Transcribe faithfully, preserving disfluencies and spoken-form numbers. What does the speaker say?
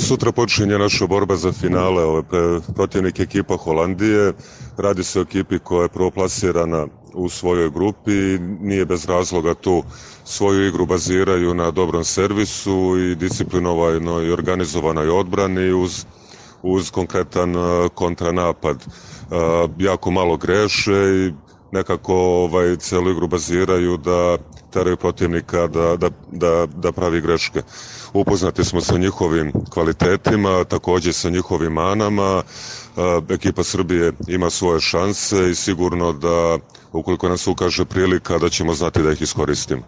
Sutra počinje naša borba za finale, ove, protivnik ekipa Holandije. Radi se o ekipi koja je prvoplasirana u svojoj grupi, nije bez razloga tu. Svoju igru baziraju na dobrom servisu i disciplinovanoj i organizovanoj odbrani uz, uz konkretan uh, kontranapad. Uh, jako malo greše i nekako ovaj, celu igru baziraju da teraju protivnika da, da, da, da pravi greške. Upoznati smo sa njihovim kvalitetima, takođe sa njihovim manama. Ekipa Srbije ima svoje šanse i sigurno da ukoliko nas ukaže prilika da ćemo znati da ih iskoristimo.